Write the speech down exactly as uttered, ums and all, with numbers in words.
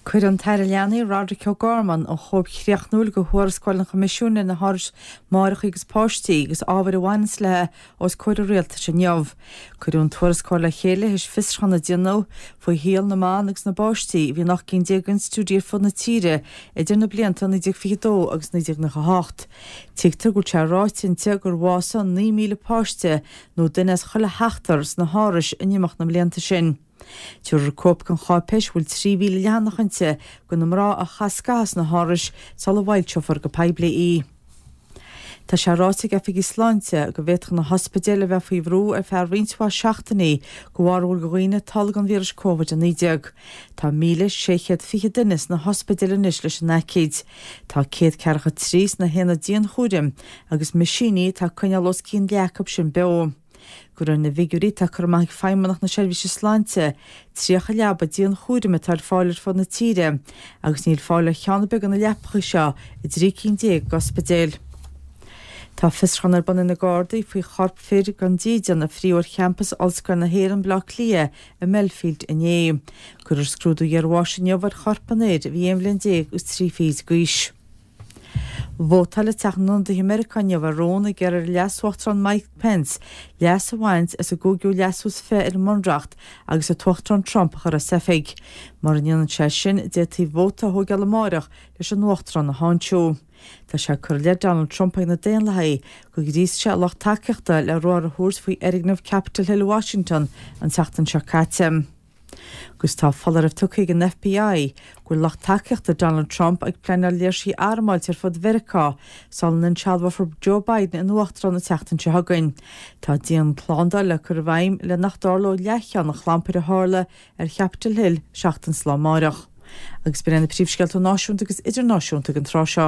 Cuirfidh an tAire Leanaí Roderic O'Gorman an chóip chríochnúil de thuarascáil an Choimisiúin ar na hárais máithreacha agus páistí agus ábhair a bhaineanns léi os comhair an rialtais inniu. Cuireadh an tuarascáil le chéile théis fiosrúchán a déanadh faoi shaol na mban agus na bpáistí a bhí in ocht gcinn déag d'institiúidí ar fud na tíre idir na blianta naoi déag fiche dó agus naoi déag nócha hocht. Tuigtear go bhfuil sé ráite inti gur bhásaigh naoi míle páiste nó duine as chuile sheachtar sna hárais in imeacht na mblianta sin. Tabharfar cóip den cháipéis a bhfuil trí mhíle leathanach inti do na mná a chaith scaitheamh sna hárais sula bhfoilseofar go poiblí í. Tá sé ráite ag oifigigh sláinte go bhféadfadh na hospidéil a bheith faoi bhrú ar feadh roinnt mhaith seachtainí de bharr go bhfuil dhaoine ag tolgadh an víris Covid a naoi déag. Tá míle sé chéad fiche duine sna hospidéil anois leis an aicíd. Tá céad ceathracha trí sna haonaid dianchúraim agus meaisíní atá ag coinneáil os cionn leath acu sin beo. De réir na bhfigiúirí atá curtha amach ag Feidhmeannacht na Seirbhíse Sláinte, tríocha leaba dianchúraim atá ar fáil ar fud na tíre agus níl fáil ar cheann ar bith de na leapacha seo i dtrí cinn déag d'ospidéil. Tá fiosrúchán ar bun ag na Gardaí faoi chorp fir gan dídean a fríodh ar champas Ollscoil na hÉireann Baile Átha Cliath i mBelfield inné. Cuirfear scrúdú iarbháis inniu ar chorp an fhir a bhí aon bhliain déag agus trí fichid d'aois. Vótáil Teach na nIonadaithe Meiriceá inniu ar rún ag iarraidh ar an Leas-Uachtarán Mike Pence leas a bhaint as an gcúigiú leasú is fiche ar an mBunreacht agus an tUachtarán Trump a chur as oifig. Mura ndéanann sé sin, d'fhéadfaí vóta a thógáil amárach leis an Uachtarán a tháinseamh. Tá sé curtha i leith Donald Trump ag na Daonlathaigh gur ghríosaigh sé a lucht tacaíochta le ruathar a thabhairt faoi fhoirgneamh Capitol Hill i Washington an tseachtain seo caite. Agus tá foláireamh tugtha ag an FBI go bhfuil lucht tacaíochta Donald Trump ag pleanáil léirsithe armáilte ar fud Mheiriceá sula n-insealbhófar Joe Biden ina uachtarán an tseachtain seo chugainn. Tá dianshlándáil le cur i bhfeidhm le nach dtarlódh leathcheann an chlampair a tharla ar Chapitol Hill seachtain is lá amárach. Agus b'in iad na príomhscéalta náisiúnta agus idirnáisiúnta ag an tráth seo.